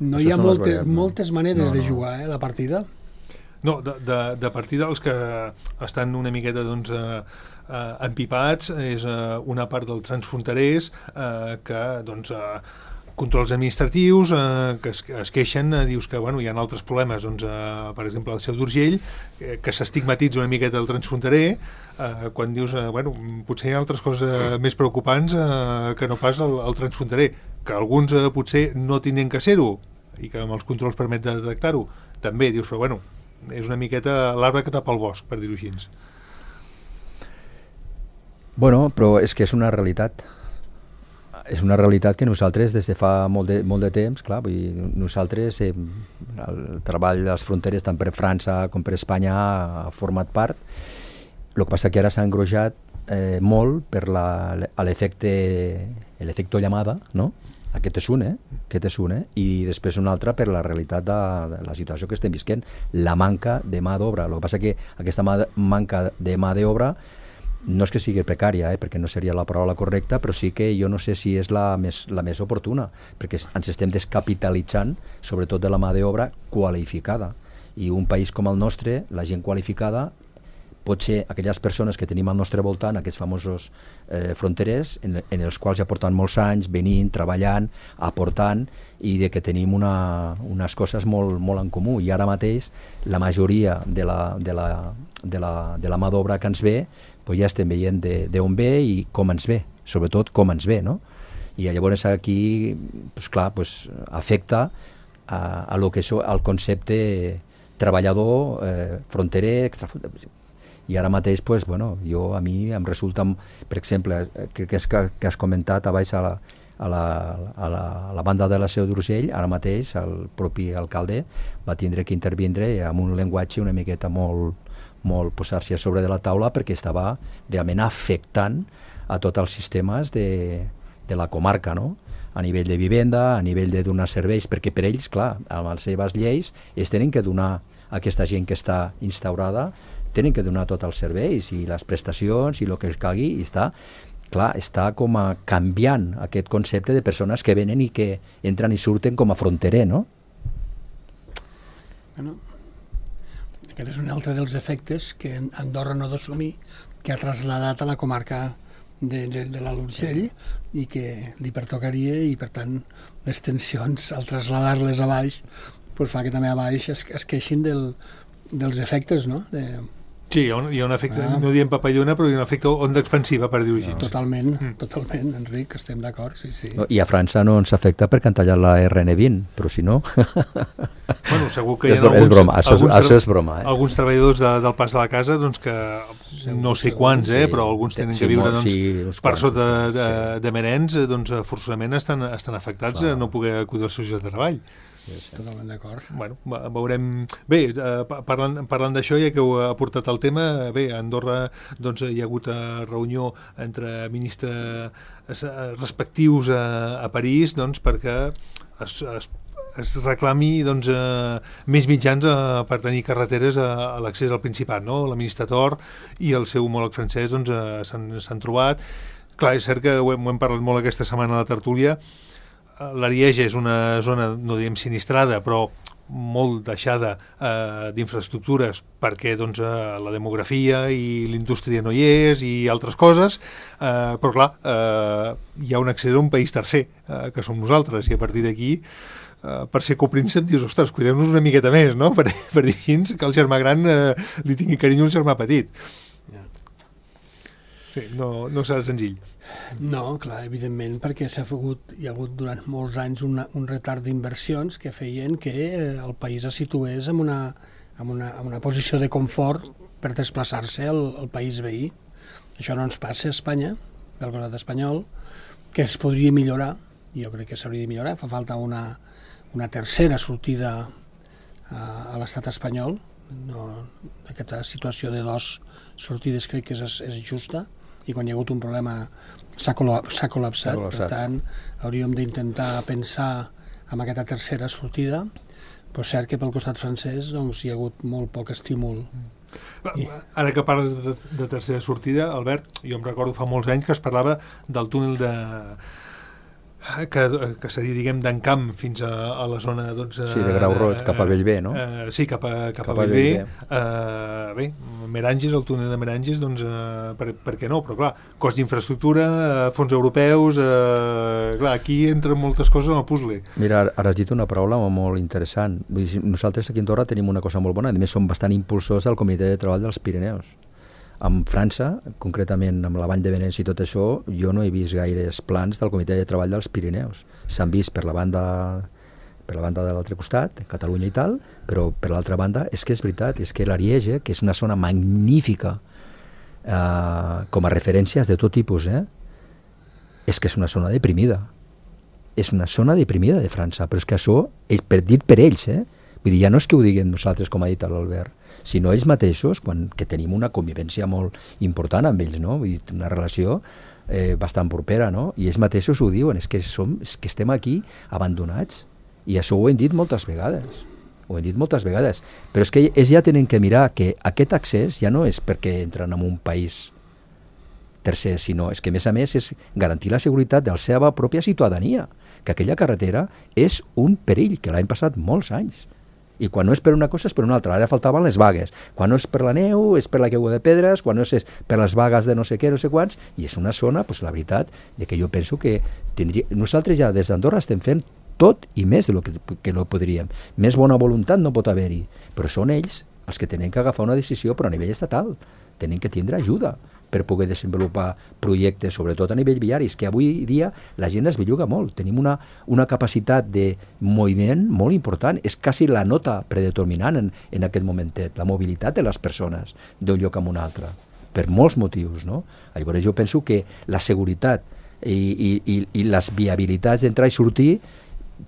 no hi ha moltes maneres de jugar, la partida. No, de partida els que estan una miqueta empipats és una part dels transfronterers que controls administratius que es queixen, dius que hi ha altres problemes, doncs, per exemple, el Seu d'Urgell, que s'estigmatitza una miqueta el transfronterer, quan dius, potser hi ha altres coses més preocupants que no pas el transfronterer, que alguns potser no tenen que ser-ho, i que amb els controls permet de detectar-ho, també dius, però és una miqueta l'arbre que tapa el bosc, per dir-ho així. Però és que és una realitat. És una realitat que nosaltres des de fa molt de temps, clar, nosaltres el treball de les fronteres tant per França com per Espanya ha format part. El que passa que ara s'ha engrosjat molt per l'efecte llamada, no? Aquest és un, i després un altre per la realitat de la situació que estem visquent, la manca de mà d'obra. El que passa que aquesta manca de mà d'obra no és que sigui precària, perquè no seria la paraula correcta, però sí que jo no sé si és la més oportuna, perquè ens estem descapitalitzant, sobretot de la mà d'obra qualificada. I un país com el nostre, la gent qualificada, pot ser aquelles persones que tenim al nostre voltant, aquests famosos fronterers, en els quals ja porten molts anys venint, treballant, aportant, i de que tenim unes coses molt en comú. I ara mateix la majoria de la mà d'obra que ens ve, ja estem veient d'on ve i com ens ve, sobretot com ens ve, no? I llavors aquí, afecta a lo que és el concepte treballador, fronterer, extrafronterer. I ara mateix, a mi em resulta, per exemple, que has comentat abans a la banda de la Seu d'Urgell, ara mateix el propi alcalde va tindre que intervindre amb un llenguatge una miqueta molt posar-se a sobre de la taula, perquè estava realment afectant a tots els sistemes de la comarca, no? A nivell de vivenda, a nivell de donar serveis, perquè per ells, clar, amb les seves lleis, es tenen que donar a aquesta gent que està instaurada, tenen que donar tots els serveis i les prestacions i el que es calgui, i està com a canviant aquest concepte de persones que venen i que entren i surten com a fronterer, no? Aquest és un altre dels efectes que Andorra no ha d'assumir, que ha traslladat a la comarca de l'Alt Urgell i que li pertocaria, i per tant les tensions al traslladar-les a baix fa que també a baix es queixin dels efectes, no? Sí, hi ha un efecte, no diem papallona, però hi ha un efecte onda expansiva, per dir-ho així. Totalment, Enric, estem d'acord, sí. I a França no ens afecta perquè han tallat la RN20, però si no... Segur que hi ha això és broma. Alguns treballadors del Pas de la Casa, doncs que no sé quants, però alguns tenen que viure per sota de Menens, doncs forçosament estan afectats a no poder acudir als seus llocs de treball. Totalment d'acord. Veurem... Bé, parlant d'això, ja que heu aportat el tema, a Andorra hi ha hagut reunió entre ministres respectius a París perquè es reclami més mitjans per tenir carreteres a l'accés al Principat, no? La ministra Tor i el seu homòleg francès s'han trobat. Clar, és cert que ho hem parlat molt aquesta setmana a la tertúlia. L'Arieja és una zona, no diem sinistrada, però molt deixada d'infraestructures perquè la demografia i l'indústria no hi és i altres coses, però clar, hi ha un accés a un país tercer, que som nosaltres, i a partir d'aquí, per ser copríncep, dius, ostres, cuidem-nos una miqueta més, no? Per dir així, que el germà gran li tingui carinyo al germà petit. Sí, no serà senzill. No, clar, evidentment, perquè hi ha hagut durant molts anys un retard d'inversions que feien que el país es situés en una posició de confort per desplaçar-se al país veí. Això no ens passa a Espanya, pel costat espanyol, que es podria millorar, jo crec que s'hauria de millorar, fa falta una tercera sortida a l'estat espanyol. Aquesta situació de dos sortides crec que és justa, i quan hi ha hagut un problema s'ha col·lapsat. Per tant, hauríem d'intentar pensar en aquesta tercera sortida, però és cert que pel costat francès hi ha hagut molt poc estímul. Ara que parles de tercera sortida, Albert, jo em recordo fa molts anys que es parlava del túnel que seria, diguem, d'Encamp fins a la zona, doncs... Sí, de Grau Roig, cap a Bellver, no? Sí, cap a Bellver. Bé, Meranges, el túnel de Meranges, doncs, per què no? Però, clar, cost d'infraestructura, fons europeus... clar, aquí entren moltes coses en el puzzle. Mira, ara has dit una paraula molt interessant. Nosaltres aquí a Andorra tenim una cosa molt bona, a més som bastant impulsors del Comitè de Treball dels Pirineus. En França, concretament amb la Vall de Venècia i tot això, jo no he vist gaires plans del Comitè de Treball dels Pirineus. S'han vist per la banda de l'altre costat, Catalunya i tal, però per l'altra banda és que és veritat, és que l'Ariège, que és una zona magnífica com a referències de tot tipus, és que és una zona deprimida. És una zona deprimida de França, però és que això és dit per ells, Vull dir, ja no és que ho diguem nosaltres, com ha dit l'Albert, sinó ells mateixos, que tenim una convivència molt important amb ells, no? Vull dir, una relació bastant propera, no? I ells mateixos ho diuen, és que estem aquí abandonats. I això ho hem dit moltes vegades. Però és que ells ja tenen que mirar que aquest accés ja no és perquè entren en un país tercer, sinó és que a més és garantir la seguretat de la seva pròpia ciutadania, que aquella carretera és un perill, que l'han passat molts anys. I quan no és per una cosa és per una altra. Ara faltaven les vagues. Quan no és per la neu és per la caiguda de pedres, quan no és per les vagues de no sé què, no sé quants, i és una zona, doncs la veritat, de que jo penso que nosaltres ja des d'Andorra estem fent tot i més del que no podríem. Més bona voluntat no pot haver-hi, però són ells els que tenen que agafar una decisió, però a nivell estatal. Tenen que tindre ajuda per poder desenvolupar projectes, sobretot a nivell viari, que avui dia la gent es belluga molt. Tenim una capacitat de moviment molt important. És quasi la nota predeterminant en aquest momentet, la mobilitat de les persones d'un lloc a un altre, per molts motius, no? Llavors jo penso que la seguretat i les viabilitats d'entrar i sortir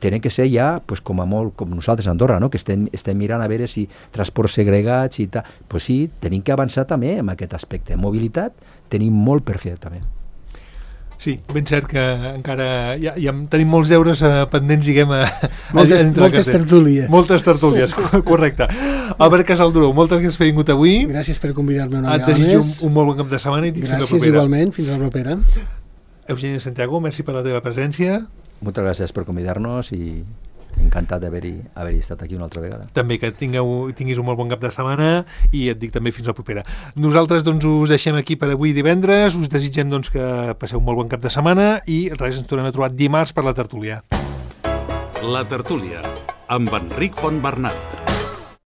tenen que ser ja, pues, com nosaltres a Andorra, no? Que estem mirant a veure si transports segregats i tal. Pues sí, tenim que avançar també en aquest aspecte. Mobilitat tenim molt per fer també. Sí, ben cert que encara ja tenim molts deures pendents, diguem, moltes tertúlies. Moltes tertúlies, correcte. Albert Casalduró, moltes gràcies per haver vingut avui. Gràcies per convidar-me una vegada més. Et desitjo un molt bon cap de setmana i fins la propera. Gràcies igualment, fins la propera. Eugenia Santiago, merci per la teva presència. Moltes gràcies per convidar-nos i encantat d'haver-hi estat aquí una altra vegada. També que tinguis un molt bon cap de setmana i et dic també fins la propera. Nosaltres doncs us deixem aquí per avui divendres, us desitgem doncs que passeu un molt bon cap de setmana i res, ens tornem a trobar dimarts per la tertúlia. La tertúlia amb Enric Fontbernat.